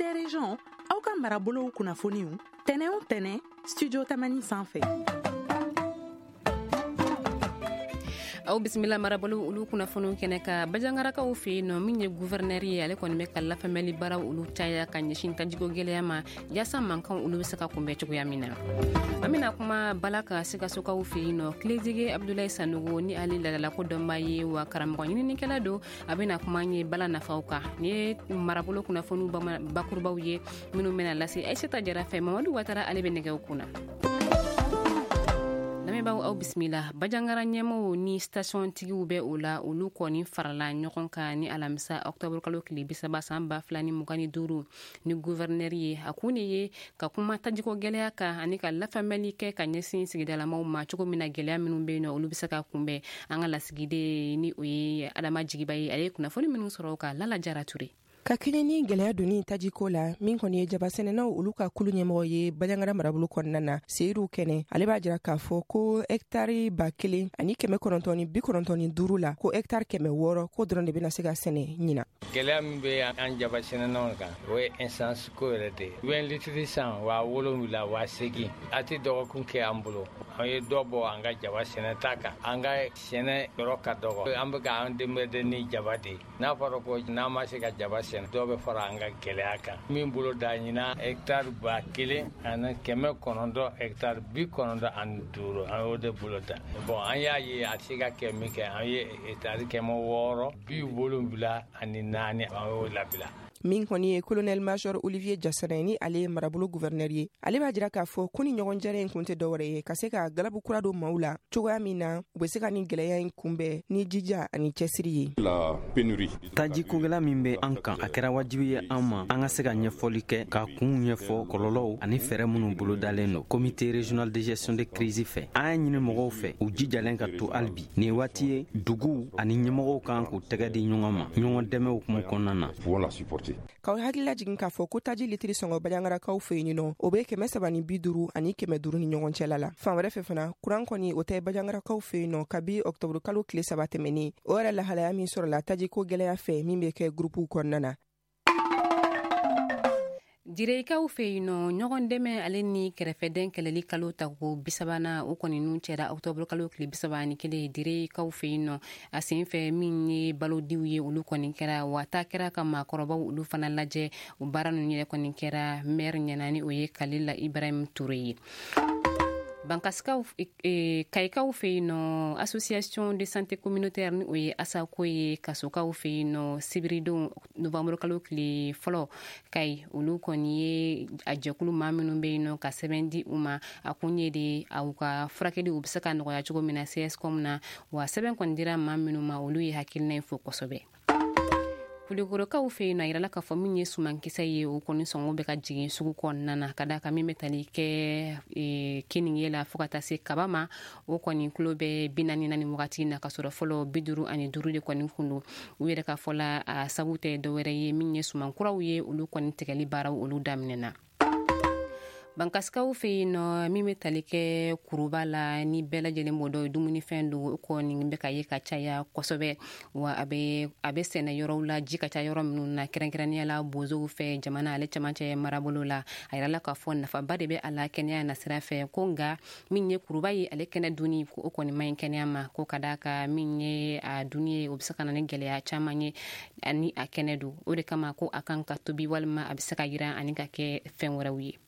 Des régions, aw ka marabolow kunnafoniw tɛnɛ o tɛnɛ, Studio Tamani sanfɛ. Aw bisimila marabolo olu kunnafoniw kɛnɛ kan. Bajangarakaw fɛ yen nɔ, min ye guvɛrnɛri ye, ale kɔni bɛ ka lafaamuyali baaraw olu caya ka ɲɛsin tajiko gɛlɛya ma, yaasa mankan olu bɛ se ka kunbɛn cogoya min na. An bɛna kuma bala ka Sikasokaw fɛ yen nɔ. Kilezige Abdulayi Sanogo ni ale ladalako dɔnbaa ye, wa karamɔgɔ ɲininikɛla don, a bɛna kuma an ye bala nafaw kan. Nin ye marabolo kunnafoniw bakurubaw ye minnu bɛna lase Aisata Jara fɛ. Mamadu Watara, ale bɛ nɛgɛw kunna. Lamɛnbaaw, aw bisimila. Bajangara ɲɛmɔgɔw ni station tigiw bɛ o la, olu kɔni farala ɲɔgɔn kan ni alamisa octobre kalo tile 30 san 2025 ni gouverneur ye. A kun de ye ka kuma tajiko gɛlɛya kan ani ka lafaamuyali kɛ ka ɲɛsin sigidalamaw ma, cogo min na gɛlɛya minnu bɛ yen nɔ, olu bɛ se ka kunbɛn. An ka lasigiden, ni o ye Adama Jigiba ye, ale ye kunnafoni minnu sɔrɔ o kan. Lala Jara Ture. Ka kɛɲɛ ni gwɛlɛya donni tajiko la, min kɔni ye jabasɛnɛnaw olu ka kulu ɲɛmɔgɔ ye Bajangara marabolo kɔnɔna na, Seyidu Kɛnɛ, ale b'a jira k'a fɔ ko hɛktari 1995 la, ko hɛktari 600 ko dɔrɔn de bɛna se ka sɛnɛ ɲina. Gɛlɛya min bɛ an jabasɛnɛnaw kan, o ye essence ko yɛrɛ de ye. U litiri san 7000, 8000, a tɛ dɔgɔkun kɛ an bolo. An ye dɔ bɔ an ka jaba sɛnɛta kan. An ka sɛnɛ yɔrɔ ka dɔgɔ, an bɛ ka an denbɛden ni jaba de ye. N'a fɔra ko n'an ma se ka jaba sɛnɛ, dɔw bɛ fara an ka gɛlɛya kan. Min bolo da ɲinan, hectare 1900, hectare 95, an y'o de bolo da. Bon, an y'a ye a se ka kɛ min kɛ, an ye hectare 674, an y'o labila. Min kɔni ye colonel major Olivier Jasana, ni ale ye marabolo gouverneur ye, ale b'a jira k'a fɔ ko ni ɲɔgɔn jɛrɛ in kun tɛ dɔwɛrɛ ye ka se ka galabu kura don maaw la, cogoya min na u bɛ se ka ni gwɛlɛya in kunbɛn ni jija ani cɛsiri ye. Taji kogɛlɛya min bɛ an kan, a kɛra wajibi ye an ma an ka se ka ɲɛfɔli kɛ, ka kunw ɲɛfɔ, kɔlɔlɔw ani fɛɛrɛ minnu bolodalen don Comité régional de gestion de crise fɛ. An y'a ɲini mɔgɔw fɛ, u jijalen ka to hali bi. Nin waati ye duguw ani ɲɛmɔgɔw kan k'u tɛgɛ di ɲɔgɔn ma ɲɔgɔn dɛmɛ hukumu kɔnɔna na. K'aw hakilila jigin k'a fɔ ko taji litiri sɔngɔ Bajangarakaw fɛ yen nɔ, o bɛ 350 ani 500 ni ɲɔgɔn cɛla la. Fan wɛrɛ fɛ fana, kuran kɔni, o tɛ Bajangarakaw fɛ yen nɔ kabi ɔktɔburu kalo tile 3 tɛmɛnen. O yɛrɛ lahalaya min sɔrɔla tajiko gwɛlɛya fɛ min bɛ kɛ gurupuw kɔnɔna na. Direkaw fɛ yen nɔ, ɲɔgɔn dɛmɛ ale ni kɛrɛfɛdɛn kɛlɛli kalo tako bisabanan, o kɔni nun cɛra ɔktɔburu kalo tile 31 Direkaw fɛ yen nɔ. A sen fɛ, min ye balodiw ye, olu kɔni kɛra, wa taa kɛra ka maakɔrɔbaw olu fana lajɛ. O baara ninnu yɛrɛ kɔni kɛra maire ɲɛna, ni o ye Kalila Ibrahim Ture ye. Bankasikaw, Kayikaw fɛ yen nɔ, Association de santé communautaire, ni o ye ASACO ye Kasokaw fɛ yen nɔ, sibiridon novembre kalo tile 1 Kayi, olu kɔni ye a jɛkulu maa minnu bɛ yen nɔ ka sɛbɛn di u ma. A kun ye de aw ka furakɛli u bɛ se ka nɔgɔya cogo min na CSCOM na. Wa sɛbɛn kɔni dira maa minnu ma, olu ye hakilina in fo kosɛbɛ. Kulikorokaw fɛ yen nɔ, a yirala k'a fɔ min ye sumankisɛ ye, o kɔni sɔngɔ bɛ ka jigin sugu kɔnɔna na, ka d'a kan min bɛ tali kɛ keninge la fo ka taa se kaba ma, o kɔni kulo bɛ 40 na nin wagati na, ka sɔrɔ fɔlɔ 55 de kɔni kun don. U yɛrɛ ka fɔ la, a sabu tɛ dɔwɛrɛ ye, min ye sumankuraw ye, olu kɔni tigɛli baaraw olu daminɛna. Bankasikaw fɛ yen nɔ, min bɛ tali kɛ kuruba la, ni bɛɛ lajɛlen b'o dɔn, dumunifɛn don, o kɔni bɛ ka ye ka caya kosɛbɛ, wa a bɛ sɛnɛ yɔrɔw la ji ka ca yɔrɔ minnu na, kɛrɛnkɛrɛnnenya la bozow fɛ jamana ale cɛmancɛ marabolo la. A yirala k'a fɔ nafaba de bɛ a la kɛnɛya nasira fɛ, ko nka min ye kuruba ye, ale kɛnɛ dunni, ko o kɔni man ɲi kɛnɛya ma, ko ka d'a kan min ye a dunni ye, o bɛ se ka na ni gɛlɛya caman ye ani a kɛnɛ don. O de kama ko a kan ka tobi walima a bɛ se ka yiran ani ka kɛ fɛn wɛrɛw ye.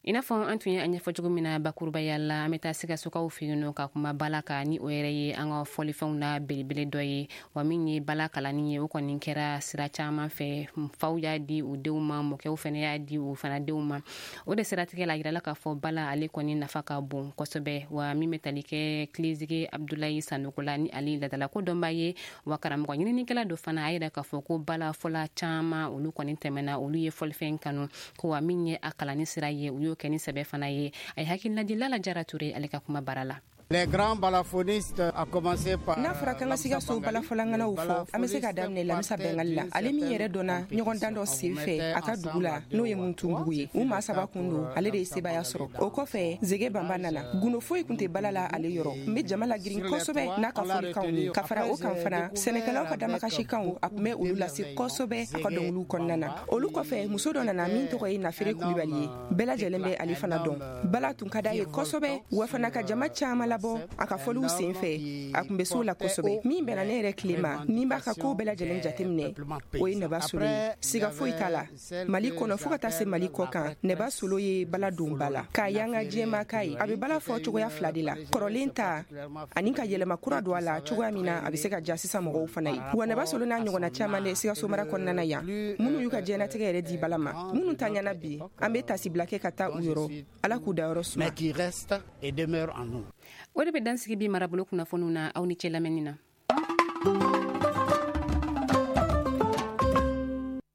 I n'a fɔ an tun ye a ɲɛfɔ cogo min na bakurubaya la, an bɛ taa Sikasokaw fɛ yen nɔ ka kuma bala kan, ni o yɛrɛ ye an ka fɔlifɛnw na belebele dɔ ye. Wa min ye bala kalanni ye, o kɔni kɛra sira caman fɛ. Faw y'a di u denw ma, mɔkɛw fɛnɛ y'a di u fana denw ma. O de siratigɛ la, a yirala k'a fɔ bala ale kɔni nafa ka bon kosɛbɛ. Wa min bɛ tali kɛ Kilezige Abdulayi Sanogo la, ni ale ladalako dɔnba ye, wa karamɔgɔ ɲininikɛla dɔ fana, a yira k'a fɔ ko bala fɔla caman olu kɔni tɛmɛna, olu ye fɔlifɛn kanu, ko wa min ye a kalanni sira ye, u y'o kɛ ni sɛbɛ fana ye. A ye hakilina di Lala Jara Ture ale ka kuma baara la. Les grands balafonistes, à commencer par N'a fɔra k'an ka Sikaso balafɔlaŋanaw fɔ, an be se ka daminɛ Lamisa Bɛngali la, ale min yɛrɛ dɔnna ɲɔgɔndan dɔ sen fɛ a ka dugu la, n'o ye Muntunbugu ye. U maa saba kun don, ale de ye sebaya sɔrɔ. O kɔfɛ, Zege Banba nana. Gundo foyi kun tɛ bala la ale yɔrɔ, n be jama lagirin kosɛbɛ n'a ka fɔlikanw ye. Ka fara o kan fana, sɛnɛkɛlaw ka damakasikanw, a tun bɛ olu lase kosɛbɛ a ka dɔnkiliw kɔnɔna na. Olu kɔfɛ, muso dɔ nana min tɔgɔ ye Nafere Kulibali ye, bɛɛ lajɛlen bɛ ale fana dɔn. Bala tun ka d'a ye kosɛbɛ, wa fana ka jama caman labɔ a ka fɔliw sen fɛ. A tun bɛ so la kosɛbɛ. Min bɛnna ne yɛrɛ tile ma, ni b'a ka kow bɛɛ lajɛlen jateminɛ, o ye Nɛba Solo ye. Siga foyi t'a la, Mali kɔnɔ fɔɔ ka taa se Mali kɔ kan, Nɛba Solo ye bala don ba la k'a yanga diɲɛma k'a ye. A bɛ bala fɔ cogoya fila de la, kɔrɔlen ta ani ka yɛlɛma kura don a la cogoya min na a bɛ se ka ja sisan mɔgɔw fana ye. Wa Nɛba Solo n'a ɲɔgɔnna caman de Sikaso mara kɔnɔna na yan, minnu y'u ka diɲɛnatigɛ yɛrɛ di bala ma, minnu ta ɲɛna bi, an bɛ tasibila kɛ ka taa u yɔrɔ. Ala k'u dayɔrɔ suma. Mais qui reste et demeure en nous. O de bɛ dansigi bi marabolo kunnafoniw na. Aw ni cɛ lamɛnni na.